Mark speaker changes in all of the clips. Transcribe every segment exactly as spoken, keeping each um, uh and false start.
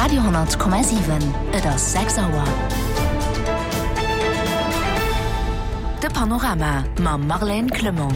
Speaker 1: Radio honnert Komma siwen, Et ass sechs Auer. De Panorama mam Marlène Clement.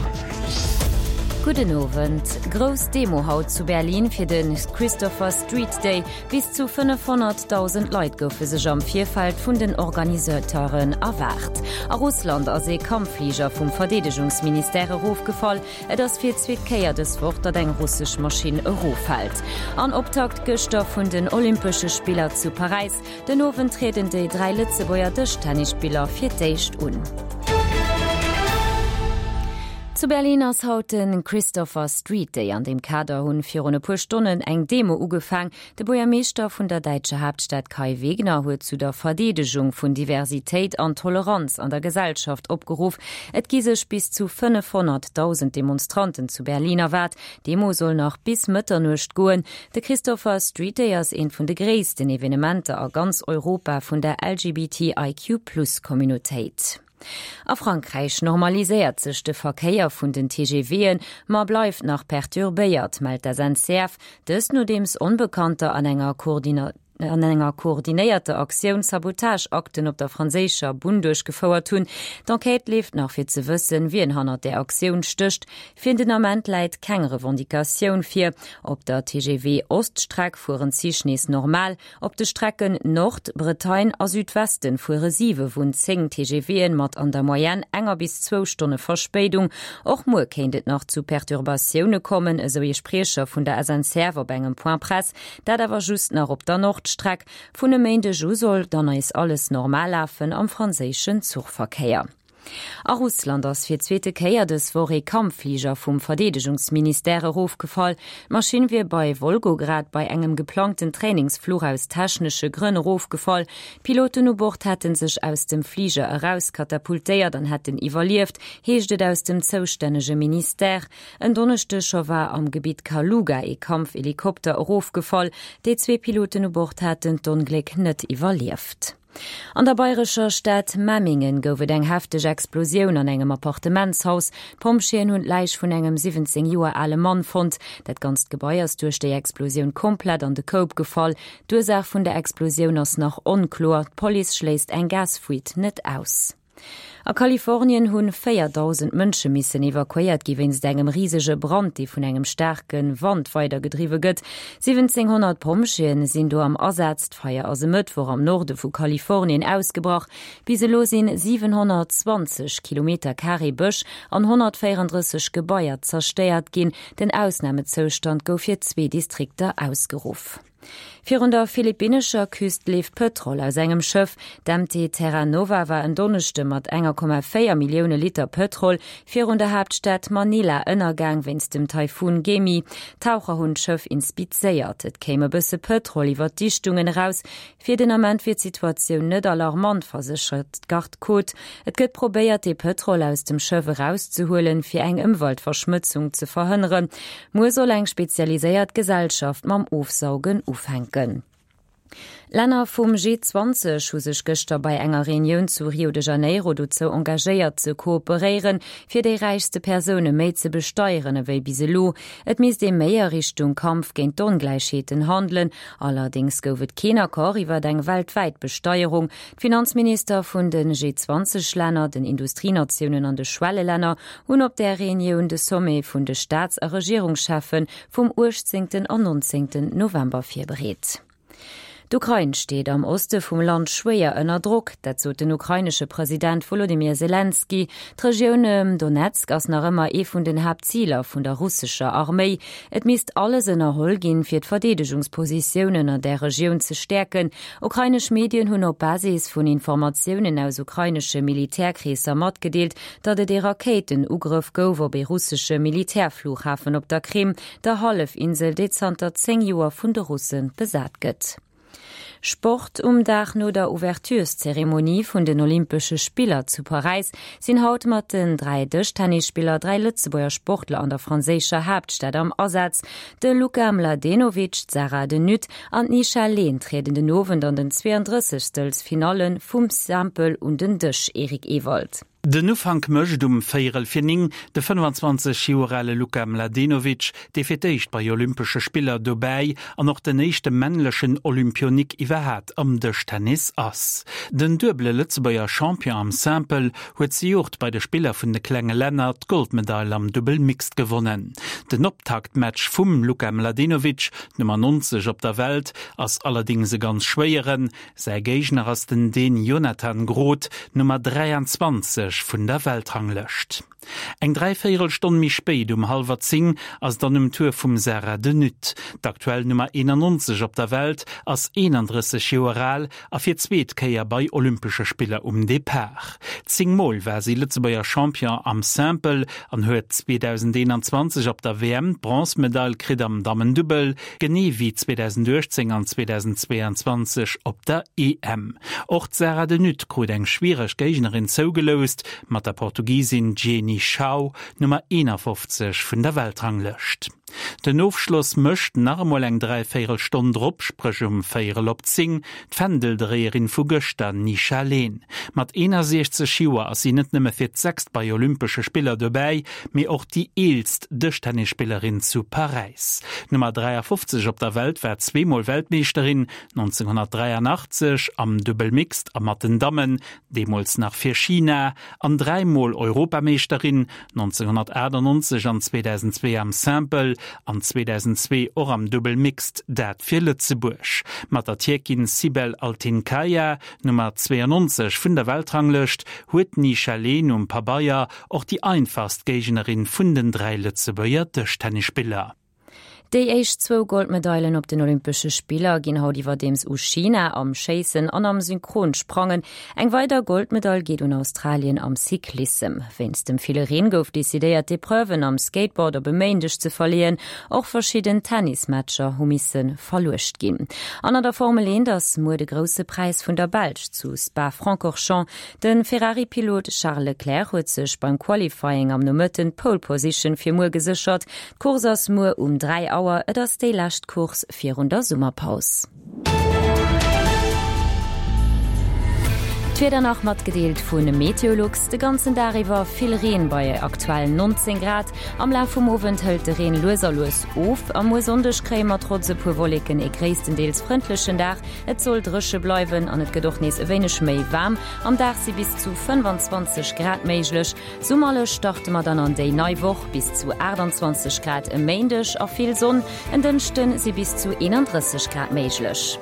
Speaker 2: Gudden Owend. Grouss Demo haut zu Berlin fir de Christopher Street Day. Bis zu fënnefhonnertdausend Leit goufe sech am Virfeld vun den Organisateuren erwaart. A Russland ass ee Kampffliger vum Verdeedegungsministère erofgefall. Et ass fir d'zweet Kéier dës Woch, datt eng russesch Maschinn eroffält. An Optakt gëschter vun den Olympesche Spiller zu Paräis. Den Owend trieden déi dräi Lëtzebuerger Dëschtennisspiller fir d'éischt un. Zu Berlin ass haut de Christopher Street Day. An deem Kader hunn virun e puer Stonnen eng Demo ugefaang. De Buergermeeschter vun der däitscher Haaptstad Kai Wegner huet zu der Verdeedegung vun Diversitéit an Toleranz an der Gesellschaft opgeruff. Et gi sech bis zu fënnefhonnertdausend Demonstranten zu Berlin erwaart. D'Demo soll nach bis Mëtternuecht goen. De Christopher Street Day ass eent vun de gréissten Evenementer a ganz Europa vun der L G B T I Q Plus Communautéit. A Frankräich normaliséiert sech de Verkéier vun den T G W'en, ma bleift nach perturbéiert, mellt d'S N C F. Dëst nodeems Onbekannter an enger an enger koordinéierter Aktioun Sabotageakten op der franséischer Bunn duerchgefouert hunn. D'Enquête leeft nach fir ze wëssen, wien hannert der Aktioun stécht. Fir den Ament läit keng Revendicatioun vir. Op der T G V Oststreck fueren d'Zich nees normal. Op de Strecken Nord, Bretagne a Südwesten fuere siwe vun zéng T G W'en mat an der Moyenne enger bis zwou Stonne Verspéidung. Och muer kéint et nach zu Perturbatioune kommen, esou ee Spriecher vun der S N C F op engem Point Presse, dat awer just nach op der Nordstreck. Vun e Méindeg u soll dann nees alles normal lafen am franséischen Zuchverkéier. A Russland ass fir d'zweete Kéier dës Woch ee Kampffliger vum Verdeedegungsministère erofgefall. D'Maschinn wier bei Wolgograd bei engem geplangten Trainingsfluch aus technesche Grënn erofgefall. D'Piloten u Bord hätte sech aus dem Fliger erauskatapultéiert an hätten iwwerlieft, heescht et aus dem zoustännege Ministère. En Donneschdeg scho war am Gebitt Kaluga ee Kampfhelikopter erofgefall. Déi zwee Piloten u Bord hätten d'Ongléck net iwwerlieft. An der bayrescher Stad Memmingen gouf et eng hefteg Explosioun an engem Appartementshaus. D'Pompjeeën hunn d'Läich vun engem siwwenzéng Joer ale Mann fonnt. Dat ganzt Gebai ass duerch déi Explosioun komplett an de Koup gefall. D'Ursaach vun der Explosioun ass nach onkloer. D'Police schléisst eng Gasfuite net aus. A Kalifornien hunn véierdausend Mënsche missen evakuéiert gi wéinst engem risege Brand, dee vun engem staarke Wand weidergedriwwe gëtt. siwwenzénghonnert Pompjeeën sinn do am Asaz. D'Feier ass e Mëttwoch am Norde vu Kalifornien ausgebrach. Bis elo sinn siwenhonnertzwanzeg Kilometer Carré Bësch an honnertvéierendrësseg Gebaier zerstéiert ginn. Den Ausnamezoustand gouf fir zwee Distrikter ausgeruff. Virun der philippinnescher Küst leeft Pëtrol aus engem Schëff. D'M T Terra Nova war en Donneschde mat enger Komma véier Millioune Liter Pëtrol virun der Haaptstad Manila ënnergaang wéinst dem Taifun Gaemi. Taucher hunn d'Schëff inspizéiert. Et kéim e bësse Pëtrol iwwer d'Dichtungen eraus. Fir den Ament wier d'Situatioun net alarmant, verséchert d'Garde-Côte. Et gëtt probéiert, de Pëtrol aus dem Schëff erauszehuelen, fir eng Ëmweltverschmotzung ze verhënneren. Muer soll eng spezialiséiert Gesellschaft mam Ofsaugen ufänken. Länner vum G zwanzeg hu sech gëschter bei enger Reunioun zu Rio de Janeiro dozou engagéiert ze kooperéieren, fir déi räichste Persoune méi ze besteieren ewéi bis elo. Et misst ee méi a Richtung Kampf géint d'Ongläichheeten handelen. Allerdéngs gouf et keen Accord iwwer eng weltwäit Besteierung. D'Finanzminister vun de G zwanzeg Länner, den Industrienatiounen an de Schwellelänner hunn op der Reunioun de Sommet vun de Staats- a Regierungscheffen vum uechtzéngten an nonzéngten November virbereet. D'Ukrain steet am Oste vum Land schwéier ënner Drock, dat sot den ukrainesche President Wolodymyr Selenskyj. D'Regioun ëm Donetsk ass nach ëmmer ee vun den Haaptziler vun der russescher Arméi. Et misst alles ënnerholl ginn, fir d'Verdeedegungspositiounen an der Regioun ze stäerken. Ukrainesch Medien hunn op Basis vun Informatiounen aus ukrainesche Militärkreesser matgedeelt, datt et ee Rakéitenugrëff gouf op ee russesche Militärflughafen op der Krim, der Hallefinsel, déi zanter zéng Joer vun de Russe besat gëtt. Sport. Um Dag no der Ouvertureszeremonie vun den Olympesche Spiller zu Paräis sinn haut mat den dräi Dëschtennisspiller dräi Lëtzebuerger Sportler an der franséischer Haaptstad am Asaz. De Luka Mladenovic, d'Sarah de Nutte an d'Nisha Lehn trieden den Owend an den zweeëndrëssegstelsfinalle vum Simple un den Dësch. Eric Ewald.
Speaker 3: Den Ufank mécht um véierel fir néng de fënnfanzwanzeg Joer ale Luka Mladenovic, dee fir d'éischt bei Olympesche Spiller dobäi an och den éischte männlechen Olympionik iwwerhat am Dëschtennis ass. Den duebele Lëtzebuerger Champion am Simple huet zejoert bei de Spiller vun de klenge Länner d'Goldmedail am Dubbel Mixed gewonnen. Den Optaktmatch vum Luka Mladenovic, d'Nummer neunzeg op der Welt, ass allerdéngs e ganz schwéieren. Säi Géigner ass den Dän Jonathan Groth, Nummer dräianzwanzeg vun der Weltranglëscht. Eng dräivéierel Stonn méi spéit, um hallwer zéng, ass dann um Tour vum Sarah De Nutte. D'aktuell Nummer eenannonzeg op der Welt ass eenandrësseg Joer al a fir d'zweet Kéier bei Olympesche Spiller um Depart. Zéng Mol war si Lëtzebuerger Champion am Simple an huet zweedausendeenanzwanzeg op der W M d'Bronzemedail kritt am Dammendubbel, genee wéi zweedausenduechtzéng an zweedausendzweeanzwanzeg op der E M. Och d'Sarah De Nutte krut eng schwiereg Géignerin zougeloust, mat der Portugisin Jenie Chao, Nummer eenafofzeg vun der Weltranglëscht. Den Ofschloss mécht nach emol eng dräivéierel Stonn drop, spréch um véierel op zéng, d'Fändeldréierin vu gëschter, Nisha Leen. Mat eenasiechzeg Joer ass si net nëmme fir d'sechst bei Olympesche Spiller dobäi, mee och déi eelst Dëschtennisspillerin zu Paräis. D'Nummer dräiafofzeg op der Welt war zweemol Weltmeeschterin, nonzénghonnertdräianachtzeg am Dubbel Mixed a mat den Dammen, deemools nach fir China, an dräimol Europameeschterin, nonzénghonnertaachtannonzeg an zweedausendzwee am Simple an zweedausendzwee och am Dubbel Mixed, dat fir Lëtzebuerg. Mat der Tierkin Sibel Altinkaya, Nummer zweeannonzeg vun der Weltranglëscht, huet d'Nisha Leen um Pabeier och déi einfachst Géignerin vun den dräi Lëtzebuerger Dëschtennisspiller.
Speaker 2: Déi éischt zwou Goldmedailen op den Olympesche Spiller ginn haut iwwerdeems u China am Schéissen an am Synchronsprangen. Eng weider Goldmedail geet un Australien am Cyclissem. Wéinst dem ville Reen gouf decidéiert, d'Epreuven am Skateboard op e Méindeg ze verleeën. Och verschidden Tennismatcher hu misse verluecht ginn. An an der Formel eent ass muer de Grousse Präis vun der Belsch zu Spa-Francorchamps. De Ferrari-Pilot Charles Leclerc huet sech beim Qualifying am Nomëtten d'Pole Position fir muer geséchert. D'Course ass muer um dräi Auer, et ass déi lescht Course virun der Summerpaus. D'Wieder nach matgedeelt vu Meteolux, De ganzen Dag iwwer vill Reen bei aktuell neunzéng Grad. Am Laf vum Owend hëlt de Reen lues a lues of. A muer Sonndeg kréie mer trotz e puer Wolleken ee gréisstendeels frëndlechen Dag. Et soll dréche bleiwen an et gëtt och nees e wéineg méi waarm. Am Dag si bis zu fënnefanzwanzeg Grad méiglech. Summerlech starte mer dann an déi nei Woch, bis zu aachtanzwanzeg Grad e Méindeg a vill Sonn. En Dënschde si bis zu eenandrësseg Grad méiglech.